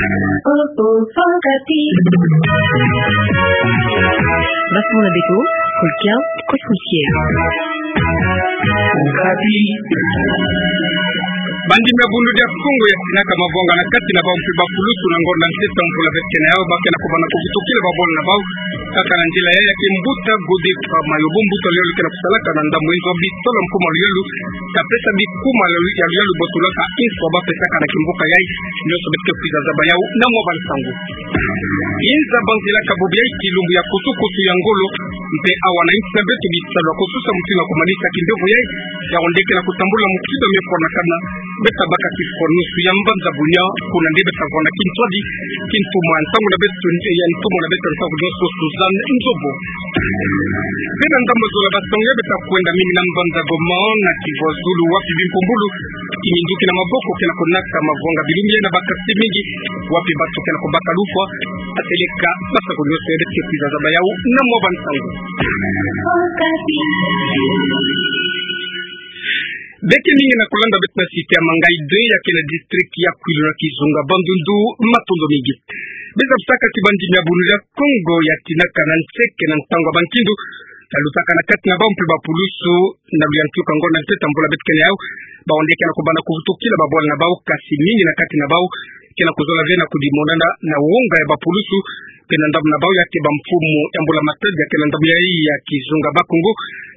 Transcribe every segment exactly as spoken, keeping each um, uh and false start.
Basono na beto, Kolkia Cosmiciel. Bandi mia Bundu dia Kongo ya tinaka mavwanga na kati na bau mpe bapulusu na ngonda ntete mvula vetkene yau, ba kena kubana kuvutukila babwana na bau kaka na nzila yai ya kimbuta Godefroid Mayobo, mbuta luyalu kena kusalaka na ndambu inzo bisalu ya mfumu luyalu, kapesa bikuma ya luyalu botulaka inswa bapesaka na kimvuka yai, nyoso beto ke kwiza zaba yau na mwa bansangu. Inza banzilaka bobo yai kilumbu ya kusukusu ya ngolo, mpe awa na insi na beto bisalu ya kususa mutindu na kumanisa kimbevo yai, ya ondeke na kutambula mutindu mia fwanakana, beta baka kifwanusu ya mbanza bunia, kuna nde beta vwanda kintwadi, kintuma ntangu na beto, ya ntuma na beto ntangu nyoso Suzanne Nzobo. Bena ndambu zola basonge beta kwenda mingi na mbanza Goma, na Kivu ya Zulu wapi bimpumbulu, kiminduki na maboko kena kunata mavwanga bilumbu yai na bakasi mingi, wapi bato kena kubaka lufwa, ateleka basaku nyoso ya beto ke kwiza zaba yau na mwa bansangu. Beke mingi na kulanda beto na site ya Mangayi deux ya kena district ya Kwilu na kizunga Bandundu, matondo mingi. Beza bisaka ti bandi mia Bundu dia Kongo ya tinaka na nseke na ntangu ya bankindu, ya lutaka na kati na bau mpe bapulusu, na luyantiuka ngonda ntete mvula beto kena yau, bau nde kena kubana kuvutukila babwana na bau, kasi mingi na kati na bau kena kuzola ve na kudimonana na wonga ya bapulusu, kena ndambu na bau ya ke bamfumu ya mbula matadi ya kena ndambu yai ya kizunga Bakongo,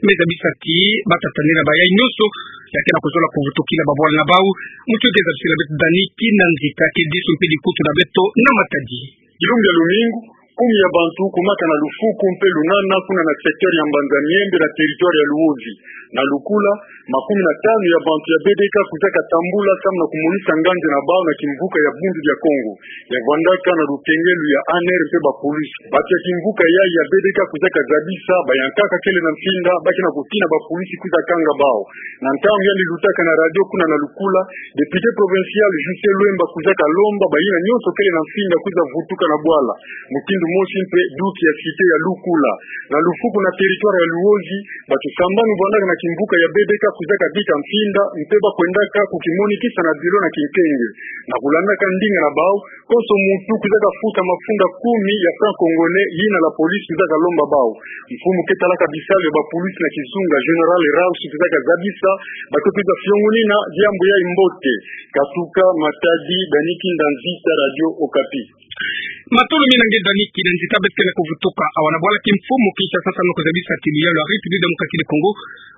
meza bisaki batatanina bayai nyoso ya kena kuzola kuvutukila babwana na bau. Mutu keza bisila beto Dani Kinanzita ke disu mpe dikutu na beto na matadi. Kilumbu ya lumingu, kumi ya bantu kumaka na lufuku mpe lunana kuna na secteur ya Mbanza-Miembe na territoire ya Luozi. Na Lukula, makumi na tanu ya bantu ya B D K kwizaka tambula samu na kumonisa nganzi na bau na kimvuka ya Bundu dia Kongo, ya vwandaka na lukengelu ya A N R mpe bapulusu. Bantu ya kimvuka yai ya B D K kwizaka zabisa bayankaka kele na mfinda, ba kena kutina bapulusu kwiza kanga bau. Na ntangu yandi lutaka na radio kuna na Lukula, député provincial Justin Lwemba kwizaka lomba bayina nyoso kele na mfinda kwiza vutuka na bwala. Mutindu mosi mpe duki ya cité ya Lukula. Na lufuku na territoire ya Luozi, bantu sambanu vwandaka na kimvuka ya B D K kwizaka bika mfinda, mpe ba kwendaka kukimonikisa na bilo na kinkenge. Na kulandaka ndinga na bau, konso muntu kwizaka futa mafunda kumi ya franc congolais yina la police kwizaka lomba bau. Mfumu ke talaka bisalu ya bapulusu na kizunga, Général Raus, kwizaka zabisa bato kwiza fiongonina diambu yai mbote. Katuka Matadi, Dani Kinanzita, Radio Okapi. Matondo mingi na nge Dani Kinanzita. Beto kena kuvutuka awa na bwala kimfumu Kinshasa samu na kuzabisa ti luyalu ya République Démocratique du Congo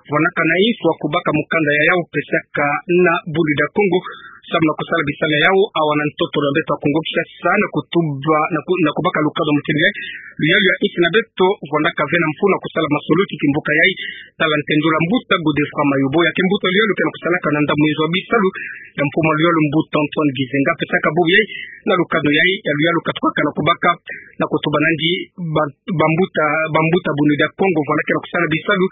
vwandaka na inswa kubaka mukanda ya yau pesaka na Bundu dia Kongo samu na kusala bisalu ya yau awa na ntoto na beto ya Kongo Kinshasa, na kutuba, na ku-, na kubaka lukanu mutindu yai. Luyalu ya insi na beto vwandaka ve na mfunu na kusala masolo ti kimvuka yai, tala ntendula mbuta Godefroid Mayobo, ya ke mbuta luyalu kena kusalaka na ndambu inzo bisalu ya mfumu luyalu, mbuta Antoine Gizenga, pesaka bubu yai na lukanu yai ya luyalu katukaka na kubaka, na kutuba nandi ba-, bambuta, bambuta Bundu dia Kongo vwandaka na kusala bisalu,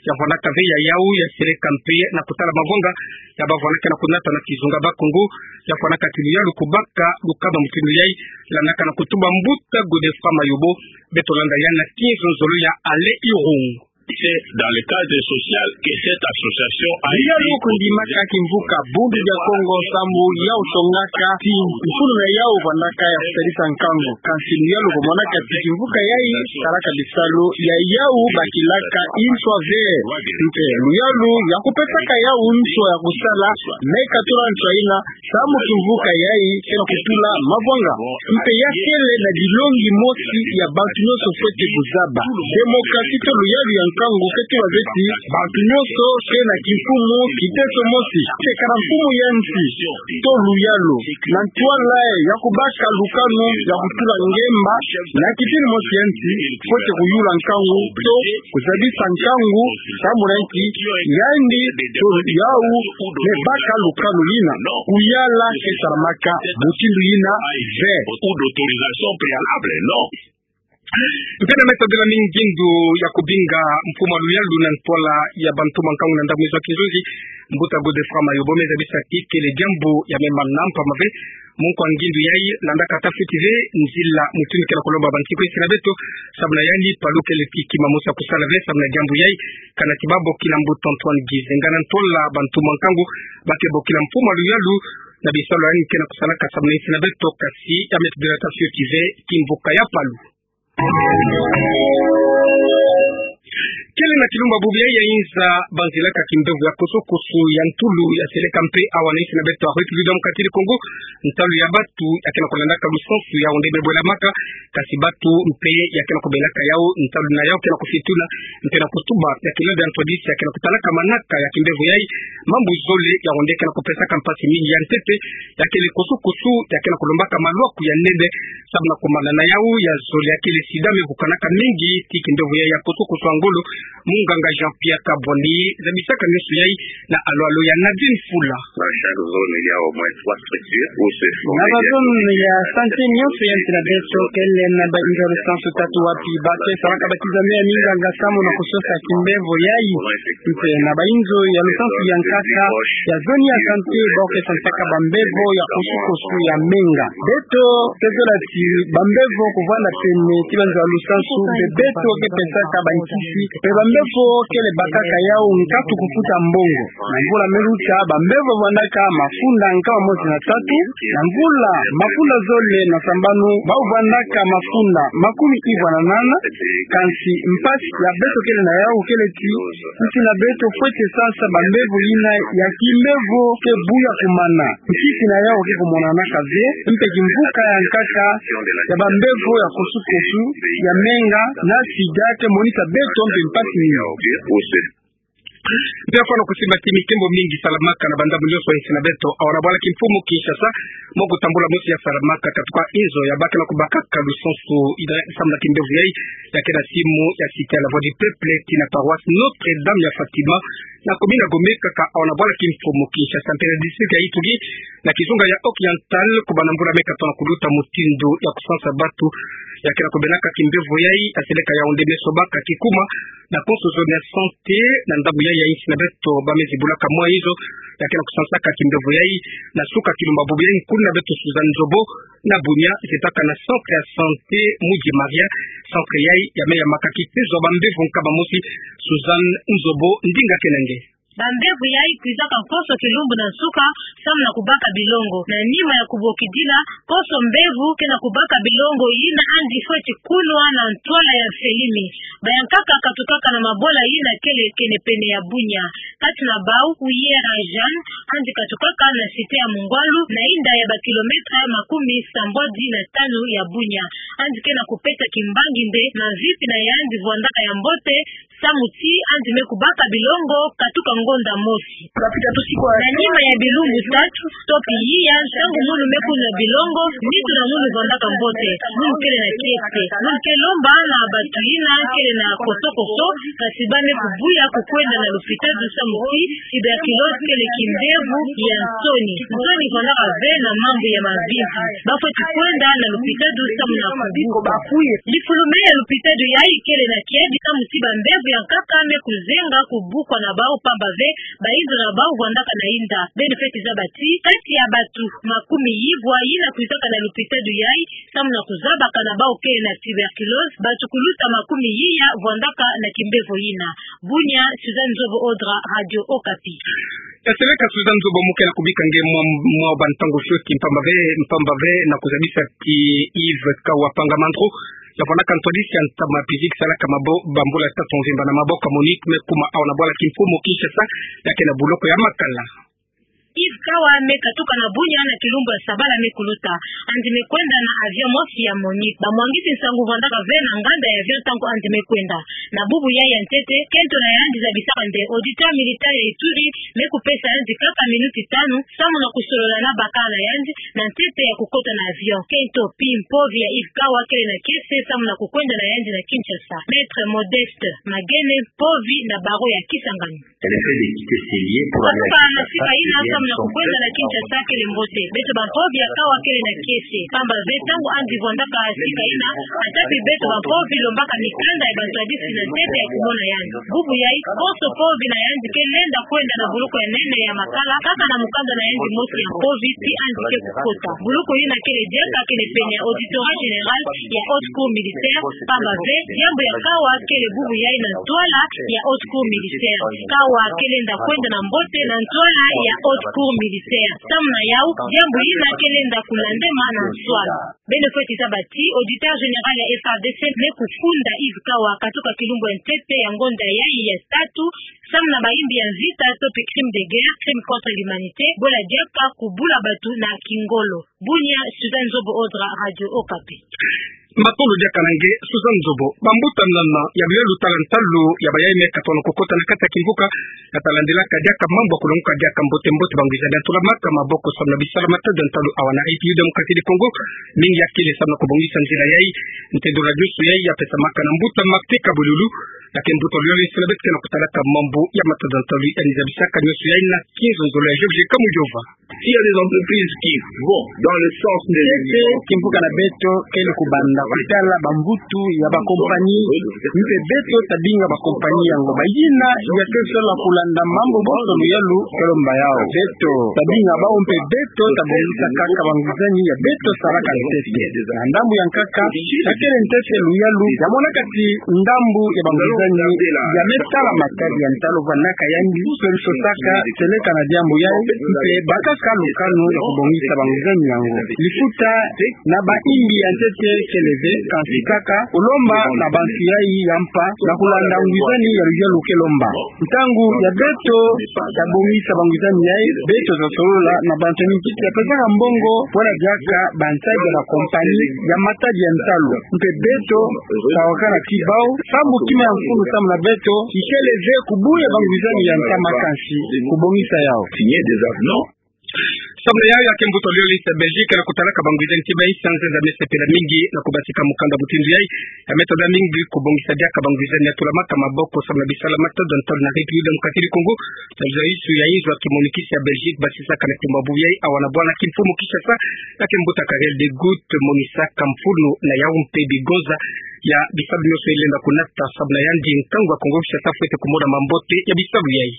ya vwandaka ve ya yau, ya seleka mpe na kutala mavwanga ya bavwandaka na kunata na kizunga Bakongo, ya vwandaka ti luyalu kubaka lukanu mutindu yai, landaka na kutuba mbuta Godefroid Mayobo. Beto landa yandi na kinzonzolo ya Alain Irung. C'est dans le cadre social que cette association a été. Luyalu kundimaka kimvuka Bundu dia Kongo samu yau tongaka ti mfunu na yau vwandaka ya kusalisa nkangu. Kansi luyalu kumonaka ti kimvuka yai salaka bisalu ya yau bakilaka inswa ve. Mpe luyalu ya kupesaka yau nswa ya kusala, me katula nswa yina samu kimvuka yai kena kutula mavwanga. Mpe ya kele na dilongi mosi ya bantu nyoso fwete kuzaba. Démocratie to luyalu ya nkangu ke tula ve ti bantu nyoso ke na kimfumu, kiteso mosi. Te kana mfumu ya nsi to luyalu na ntwala ya kubaka lukanu ya kutula ngemba na kitini mosi ya nsi, fwete kuyula nkangu to kuzabisa nkangu, samu na nki yandi to yau me baka lukanu yina. Kuyala ke salamaka mutindu yina ve. Ou d'autorisation préalable, non. Mpe na mesa bila mingi ngindu ya kubinga mfumu luyalu na ntwala ya bantoma nkangu na ndambu inzo ya kinzonzi, mbuta Godefroid Mayobo, me zabisa ti kele diambu ya mema na mpamba ve. Mu nkwa ngindu yai, landaka ta fweti ve nzila mutindu kena kulomba bansiku ya insi na beto, samu na yandi palu kele ti kima mosi ya kusala ve samu na diambu yai. Kana ti babokila mbuta Antoine Gizenga na ntwala bantoma nkangu, ba ke bokila mfumu luyalu na bisalu ya ni ke na kusalaka samu na insi na beto, kasi ya me tudirata fioti ve kimvuka ya palu. Kele na kilumbu ya bubu yayi ya inza, banzilaka kimbevo ya kosokoso ya ntulu ya seleka mpe awa na insi na beto ya République Démocratique du Congo, ntalu ya batu ya ke na kulandaka lusansu ya onde me bwelamaka, kasi batu mpe ya ke na kubelaka yau, ntalu na yau ke na kufituna, mpe na kutuba ya kilombe ya ntwadisi ya ke na kutalaka manaka ya kimbevo yayi, mambu zole ya onde ke na kupesaka mpasi mingi. Ya ntete, ya kele kosokoso ya ke na kulombaka malwaku ya nene, samu na kumanana yau ya zole ya kele sida me vukanaka mingi ti kimbevo yayi ya kosokoso ya ngolo. Munganga Jean-Pierre Kabwani zabisaka nionso yayi na alwalo ya Nadine Fula. Dans chaque zone, il y a au moins trois structures où se font... Na bazone ya santé nionso ya nsi na beto kele na bainzo ya lusansu tatu wapi ba ke salaka ba kizame ya minganga samu na kusosa kimbevo yayi. Mpe na bainzo ya lusansu ya nkaka ya zone ya santé, bawu ke sansaka bambevo ya kosokoso ya menga. Beto ke zola ti bambevo kuvwanda pene ti banzo ya lusansu, mpe beto ke pesaka bankisi, mpe bambevo kele bakaka yau nkatu kufuta mbongo. Na mvula me luta, bambevo vwandaka mafunda nkama mosi na tatu. Na mvula mafunda zole na sambanu, bawu vwandaka mafunda makumi ivwa na nana. Kansi mpasi ya beto kele na yau kele ti nsi na beto fweti sasa bambevo yina ya kimbevo ke buya kumana. Nkisi na yau ke kumonanaka ve, mpe kimvuka ya nkaka ya bambevo ya kosokoso ya menga na sida ke monisa beto mpe mpasi mingi. Mpe fwana kusimba ti mikembo mingi salamaka na bandambu nionso ya insi na beto, awa na bwala kimfumu Kinshasa, mo kutambula mosi ya salamaka katuka inzo ya ba ke na kubakaka lusansu ina samu na kimbevo yayi, ya ke na simu ya cité ya la Voix du Peuple tii na paroisse Notre-Dame ya Fatima, na commune ya Gombe, kaka awa na bwala kimfumu Kinshasa. Mpe na district ya Ituri, na kizunga ya Oriental, kubanda mvula me katono kuluta, mutindu ya kusansa batu ya ke na kubelaka kimbevo yayi ya seleka ya onde me sobaka kikuma na konso zone ya santé na ndambu yayi ya insi na beto, ba me zibulaka mwa inzo ya ke na kusansaka kimbevo yayi. Na suka kilumbu ya bubu yayi, nkulu na beto Suzanne Nzobo na Bunia zitaka na centre ya santé Mudie Maria. Centre yayi ya me yambaka kitezo ya bambevo nkama mosi. Suzanne Nzobo, ndinga kena nge. Bambevo yayi kwizaka konso kilumbu na nsuka samu na kubaka bilongo. Na nima ya kubokidila, konso mbevo ke na kubaka bilongo yina andi fweti kunwa na ntwala ya mfelimi. Bayankaka katukaka na mabola yina kele kene pene ya Bunia. Kati na bawu, Uyera Jeanne, andi katukaka na cité ya Mungwalu, na inda ya bakilometre makumi sambwadi na tanu ya Bunia. Andi ke na kupesa kimbangi nde na mvi mpina yandi vwandaka ya mbote, samu ti andi me kubaka bilongo katuka ngonda mosi. Na nima ya bilumbu tatu, to pi yiya, ntangu munu me kunwa bilongo, nitu na munu vwandaka mbote, munu kele na kiese. Munu ke lomba na batu yina kele na kosokoso, kasi ba me kubuya kukwenda na lupitalu samu ti tuberculose kele kimbevo ya nsoni. Nsoni vwandaka ve na mambu ya mavimpi. Ba fweti kwenda na lupitalu samu na kubuka. Lifulume ya lupitalu yayi kele na kiadi samu ti bambevo ya nkaka me kuzenga kubukwa na bawu, pamba ve bainzo na bawu vwandaka na inda. Beno fweti zaba ti kati ya batu makumi yivwa yina kwizaka na lupitalu yayi samu na kuzabaka na bawu kele na tuberculose, batu kuluta makumi yiya vwandaka na kimbevo yina. Bunia, Suzanne Nzobo Odra, Radio Okapi. Ya seleka Suzanne Nzobo, mu ke na kubika nge mwa, mwa bantangu fioti, mpamba ve, mpamba ve na kuzabisa ti Yves Kawa Panga Mandro, ya vwandaka ntwadisi ya ntama physique, salaka mabo-, bambula tatu mvimba na maboko ya MONUC, me kuma awa na bwala kimfumu Kinshasa, ya ke na buloko ya makala. Yves Kawa me katuka na Bunia na kilumbu ya sabala me kuluta. Andi me kwenda na avion mosi ya MONUC. Bamwangisi nsangu vwandaka ve na nganda ya avion ntangu andi me kwenda. Na bubu yayi ya ntete, kento na yandi zabisaka nde auditeur militaire ya Ituri me kupesa yandi kaka minuti tanu samu na kusolola na bakala na yandi na ntete ya kukota na avion. Kento pi mpovi ya Yves Kawa kele na kiese samu na kukwenda na yandi na Kinshasa. Maître Modeste Magene, mpovi na barreau ya Kisangani. Le fait de quitter ses lieux pour aller à Kinshasa, katuka na sika yina samu na kukwenda na Kinshasa kele mbote. Beto bampovi ya Kawa kele na kiese. Pamba ve ntangu andi vwandaka sika yina, ata pi beto bampovi lombaka mikanda ya bantwadisi na ntete ya kumona yandi. Bubu yayi, konso mpovi na yandi ke lenda kwenda na buloko ya nene ya makala, kaka na mukanda na yandi mosi ya mpovi, pi andi ke kukota. Buloko yina kele diaka kele pene ya Auditorat général ya Haute Cour militaire, pamba ve diambu ya Kawa kele bubu yayi na ntwala ya Haute Cour militaire. Kawa ke lenda kwenda na mbote na ntwala ya Haute Cour militaire. Samu na yau, diambu yina ke lenda kulendema na nswala. Beno fweti zaba ti auditeur général ya F R D C me kufunda Yves Kawa katoka kilumbu ya ntete ya ngonda yayi ya tatu, samu na bayimbi ya mvita to pe crime de guerre, crime contre l'humanité, bola diaka kubula batu na kingolo. Bunia, Suzanne Nzobo Odra, Radio Okapi. Matondo diaka na nge, Suzanne Nzobo. Bambuta nana ya luyalu tala ntalu ya bayai me katono kukota na kati ya kimvuka, ya talandelaka diaka mambu ya kulongoka diaka mbote mbote bangwizani ya tulamaka maboko samu na bisala matadi ya ntalu awa na République Démocratique du Congo, mingi ya kele samu na kubongisa nzila yayi, nte dola nyonso yayi ya pesamaka na mbuta Martin Kabululu, ya ke mbuta luyalu isi na beto ke na kutalaka mambu ya matadi ya ntalu ya nizabisaka nyonso yayi na kinzonzolo ya Georges Kamujova. S'il y a des entreprises qui vont dans le sens de... Ntete, kimvuka na beto kele kubanda kutala bambutu ya bakompani, mpe beto tabinga bakompani yango. Bayina ya ke sola kulanda mambu bonso luyalu ke lomba yau. Beto tabinga bau mpe beto tabongisa kaka bangwizani ya beto salaka ntete. Na ndambu ya nkaka, ya kele ntete luyalu ya monaka ti ndambu ya bangwizani ya me sala matadi ya ntalu vandaka yandi, solution saka seleka na diambu yayi, mpe bakaka lukanu ya kubongisa bangwizani yango. Lifuta na bayimbi ya ntete kele ve, kansi kaka kulomba na bantu yayi ya mpa na kulanda ngwizani ya luyalu ke lomba. Ntangu ya beto ya bongisa bangwizani yayi, beto ta solola na bantu ya mintiti ya pesaka mbongo pona diaka bantadi ya bakompani ya matadi ya ntalu. Mpe beto ta wakana ti bau, sambu kima ya mfunu samu na beto, ikele ve kubuya bangwizani ya ntama, kansi kubongisa yau. Signer des avenants. Samu na yau, ya ke mbuta luyalu isi ya Belgique na kutalaka bangwizani ti bainsi ya nzenza me sepela mingi na kubatika mukanda mutindu yayi, ya me tonda mingi kubongisa diaka bangwizani ya tulamaka maboko samu na bisala matadi ya ntalu na République Démocratique du Congo. Tazolo isu ya inzo ya kimonikisi ya Belgique basisaka na kimbabu yayi awa na bwana kimfumu Kinshasa, ya ke mbuta Karel De Gucht, monisaka mfunu na yau mpe bigonza ya bisalu nyonso yilenda kunata samu na yandi nkangu ya Kongo Kinshasa fwete kumona mambote ya bisalu yayi.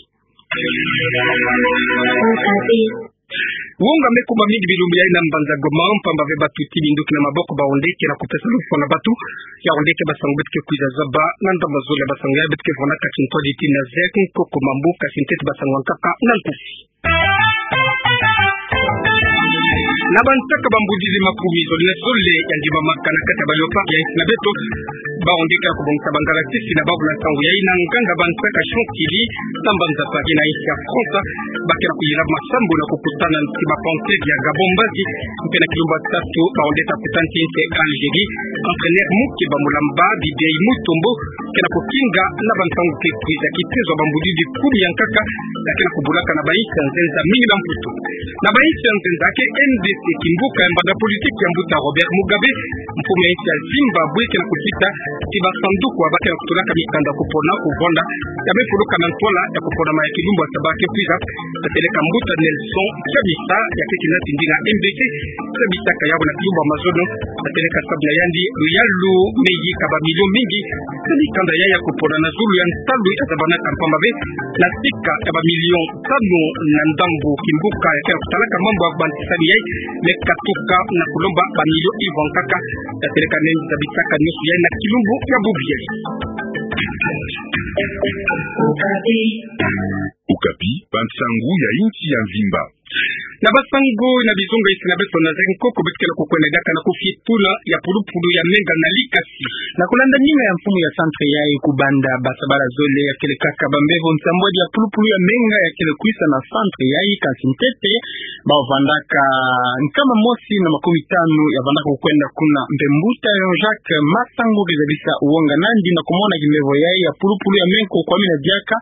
Wonga me kuma mingi bilumbu yayi na mbanza Goma, mpamba ve batuti minduki na maboko ba onde ke na kupesa lufwa na batu. Ya onde ke basangu beto ke kwiza zaba na ndambu zole ya basangu ya beto ke vwandaka ti ntwadi ti na Z K Nkoko Mambu, kasi ntete basangu ya nkaka na nkufi. Na bansaka bambudidi makumi zole na zole ya ndimamaka na kati ya ba léopards ya insi na beto, ba onde ke na kubongisa bangalasisi na bawu na nsangu yayi na nganga bansaka Chantilly, na mbanza Paris na insi ya France, ba ke na kuyilaba masambu na kukutana ti ba panthères ya Gabon mbazi, mpe na kilumbu ya tatu ba onde ta kutana ti insi ya Algérie, entraîneur Moukiba Moulamba, Bibi Mutombo, ke na kukinga na bantangu ke kwiza kitezo ya bambudidi kumi ya nkaka, ya ke na kubulaka na bainsi ya nzenza mingi na Mputu. Na bainsi ya nzenza ya ke M D C, kimbuka ya mbanda politiki ya mbuta Robert Mugabe, mfumu ya insi ya Zimbabwe, ke na kukita ti basanduku ya ba ke na kutulaka mikanda kupona kuvwanda, ya me fuluka na ntwala ya kupona ma ya kilumbu ya saba ke kwiza, tateleka mbuta Nelson Chamisa, ya ke kina tindi na M D C, Chamisa ka yabo na kilumbu ya mazono, tateleka sabu na yandi luyalu me yika ba millions mingi, sa mikanda ya ya kupona na zulu ya ntalu ya zabanaka, mpamba ve na sika ya ba millions tanu na ndambu kimbuka ya ke na kutalaka mambu ya bantisani yayi me katuka na kulomba ba millions ivwa nkaka, tateleka me zabisaka nyonso yayi na kilumbu ya bubu yayi. Okapi, bansangu ya insi ya mvimba. Na basangu na bizunga insi na beto na Z K Nkoko, beto ke na kukwenda diaka na kufitula ya pulupulu ya menga na likasi. Na kulanda ninga ya mfumu ya centre yayi, kubanda basabala zole ya kele kaka bambevo nsambwadi ya pulupulu ya menga ya kele kwisa na centre yayi, kansi ntete ba vandaka nkama mosi na makumi tanu ya vandaka kukwenda kuna. Mpe mbuta Jean-Jacques Masangu ke zabisa wonga nandi na kumona kimbevo yayi ya pulupulu ya menga ko kwamina diaka,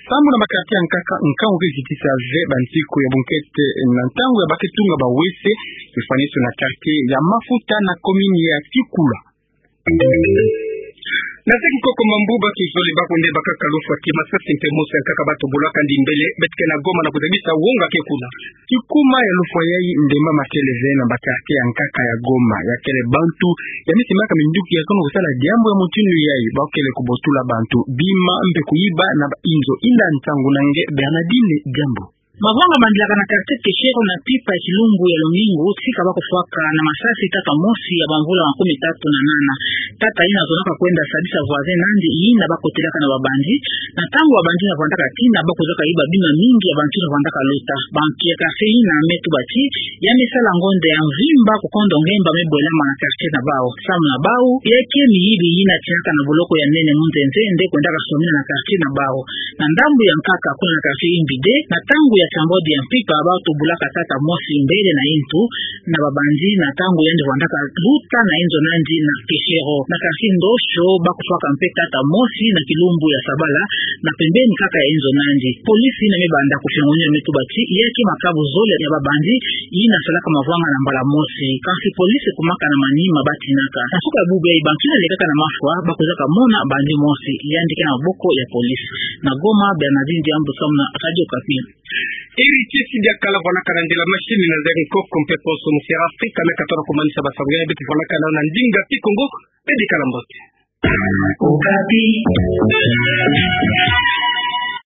sambu na ba quartier ya nkaka nkangu ke kitisa ve bansiku ya bunkete na ntangu ya ba ke tunga ba W C, ifwaniso na quartier ya Mafuta na commune ya Kikula. Na Z K Nkoko Mambu, batu zole ba kunde bakaka lufwa ti masasi mpe mosi ya nkaka ba tubulaka ndi mbele, beto ke na Goma na kuzabisa wonga ke kuna. Kikuma ya lufwa yayi, ndemba ma kele ve na ba quartier ya nkaka ya Goma, ya kele bantu ya me simbaka minduki ya kono kusala diambu ya mutindu yayi, ba kele kubotula bantu bima mpe kuyiba na ba inzo. Inda nsangu na nge Bernardine Diambu. Mavwanga mandelaka na quartier Keshero na Mpimpa ya kilumbu ya lumingu tika bakufwaka na masasi tata mosi ya bamvula makumi tatu na nana. Tata yina azonaka kwenda sadisa voisin na yandi yina bakotelaka na babandi, na ntangu babandi yina vwandaka tina, bakuzaka yiba bima mingi ya bantu yina vwandaka lota. Bantu ya quartier yina me tuba ti ya me sala ngonda ya mvimba kukondo ngemba me bwelama na quartier na bau. Samu na bau, ya ke miyibi yina tinaka na boloko ya nene mu nzenze nde kwendaka somina na quartier na bau. Na ndambu ya nkaka, kuna na quartier Imbide, na ntangu ya tiambodi ya Mpimpa, batubulaka tata mosi mbele na yintu na babandi, na ntangu yandi vwandaka luta na yinzo na yandi na Keshero. Na quartier Ndosho, bakufwaka mpe tata mosi na kilumbu ya sabala, na pembeni kaka ya yinzo na yandi. Police yina me banda kufiongonia me tuba ti ya ke makabu zole ya babandi yina salaka mavwanga na mbala mosi. Kasi police ekumaka na manima batinaka. Na suka ya bubu yayi, bantu yina lekaka na mafwa bakuzaka mona bandi mosi. Yandi ke na maboko ya police. Na Goma, Bernardine Diambu, samu na Radio Okapi. Eri ti si dia kala vwanakana ndila machine na nzere nkoko mpe poso mu Sierra Afrika, me katono kumanisa basangu ya beto vwanakana na ndinga Kikongo, pede kala mbote. Okapi.